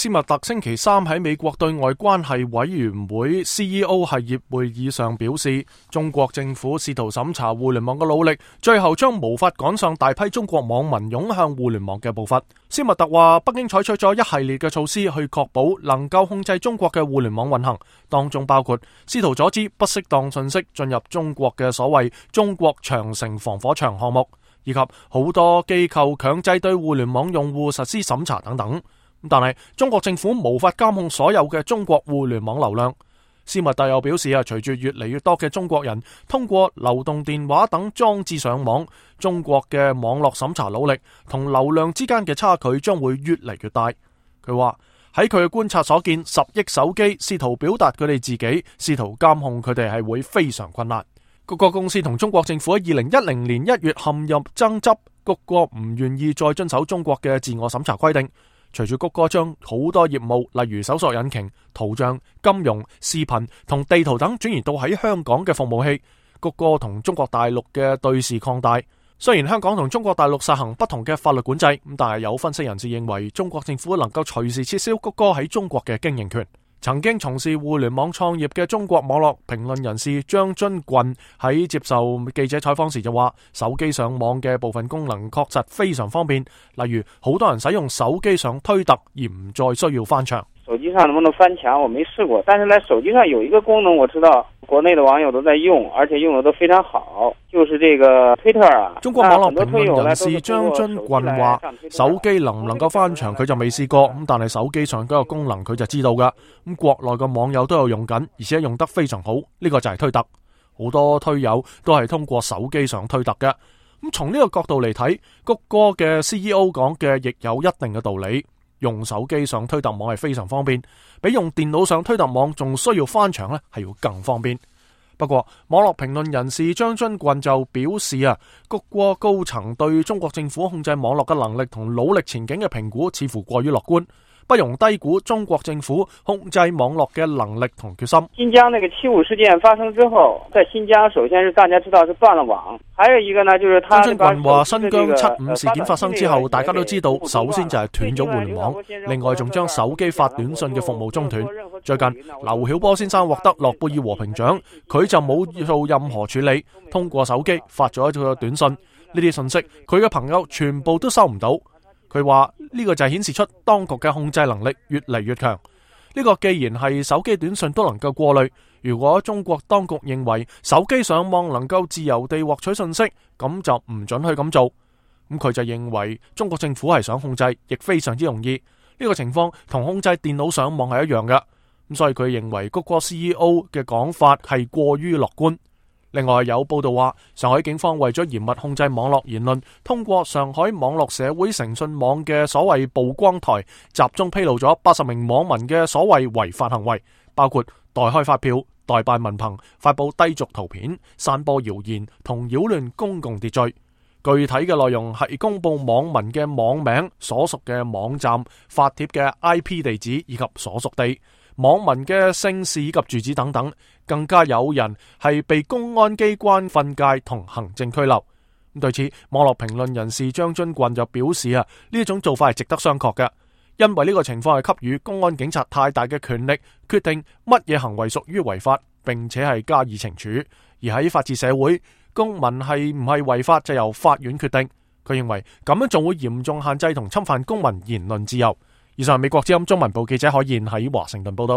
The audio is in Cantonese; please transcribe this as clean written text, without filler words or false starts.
斯密特星期三喺美國對外關係委員會 CEO 系列會議上表示，中國政府試圖審查互聯網嘅努力，最後將無法趕上大批中國網民湧向互聯網嘅步伐。斯密特話，北京採取咗一系列嘅措施去確保能夠控制中國嘅互聯網運行，當中包括試圖阻止不適當信息進入中國嘅所謂中國長城防火牆項目，以及好多機構強制對互聯網用戶實施審查等等。但係中國政府無法監控所有嘅中國互聯網流量。斯密特又表示隨住越嚟越多嘅中國人通過流動電話等裝置上網，中國嘅網絡審查努力同流量之間嘅差距將會越嚟越大。佢話喺佢嘅觀察所見，10億手機試圖表達佢哋自己，試圖監控佢哋係會非常困難。谷歌公司同中國政府喺2010年1月陷入爭執，谷歌唔願意再遵守中國嘅自我審查規定。隨住谷歌將好多業務，例如搜索引擎、圖像、金融、視頻同地圖等轉移到喺香港嘅服務器，谷歌同中國大陸嘅對峙擴大。雖然香港同中國大陸實行不同嘅法律管制，但係有分析人士認為中國政府能夠隨時撤銷谷歌喺中國嘅經營權。曾經從事互聯網創業嘅中國網絡評論人士張津郡喺接受記者採訪時就話，手機上網嘅部分功能確實非常方便，例如好多人使用手機上推特而唔再需要翻牆。手機上能不能翻牆我沒試過，但是呢手機上有一個功能我知道國內的網友都在用，而且用得都非常好，就是這個推特啊。中國網絡評論人士張津郡話，手機能唔能夠翻牆佢就未試過，但係手機上嗰個功能佢就知道噶。國內嘅網友都有用緊，而且用得非常好，呢個就係推特。好多推友都係通過手機上推特嘅。從呢個角度嚟睇，谷歌嘅 CEO 講嘅亦有一定嘅道理。用手機上推特網係非常方便，比用電腦上推特網仲需要翻牆呢係要更方便。不過網絡評論人士張津郡就表示谷歌高層對中國政府控制網絡嘅能力同努力前景嘅評估似乎過於樂觀，不容低估中國政府控制網絡嘅能力同決心。新疆那個7.5事件發生之後，在新疆首先是大家知道是斷了網，還有一個呢就是張津郡話，新疆7.5事件發生之後，大家都知道首先就係斷咗互聯網，另外仲將手機發短信嘅服務中斷。最近劉曉波先生獲得諾貝爾和平獎，佢就冇做任何處理，通過手機發咗一個短信，呢啲信息佢嘅朋友全部都收唔到。佢話呢個就係顯示出當局嘅控制能力越嚟越強。呢個既然係手機短信都能夠過濾，如果中國當局認為手機上網能夠自由地獲取信息，咁就唔准去咁做。咁佢就認為中國政府係想控制，亦非常之容易。呢個情況同控制電腦上網係一樣嘅。咁所以佢認為谷歌 CEO 嘅講法係過於樂觀。另外有報道話，上海警方為咗嚴密控制網絡言論，通過上海網絡社會誠信網嘅所謂曝光台，集中披露咗80名網民嘅所謂違法行為，包括代開發票、代辦文憑、發布低俗圖片、散播謠言同擾亂公共秩序。具體嘅內容係公布網民嘅網名、所屬嘅網站、發帖嘅 IP 地址以及所屬地、網民嘅姓氏以及住址等等，更加有人係被公安機關訓誡同行政拘留。對此，網絡評論人士張津郡就表示呢一種做法係值得商榷嘅，因為呢個情況係給予公安警察太大嘅權力，決定乜嘢行為屬於違法，並且係加以懲處。而喺法治社會，公民係唔係違法就由法院決定。佢認為咁樣仲會嚴重限制同侵犯公民言論自由。以上係美國之音中文部記者海燕喺華盛頓報道。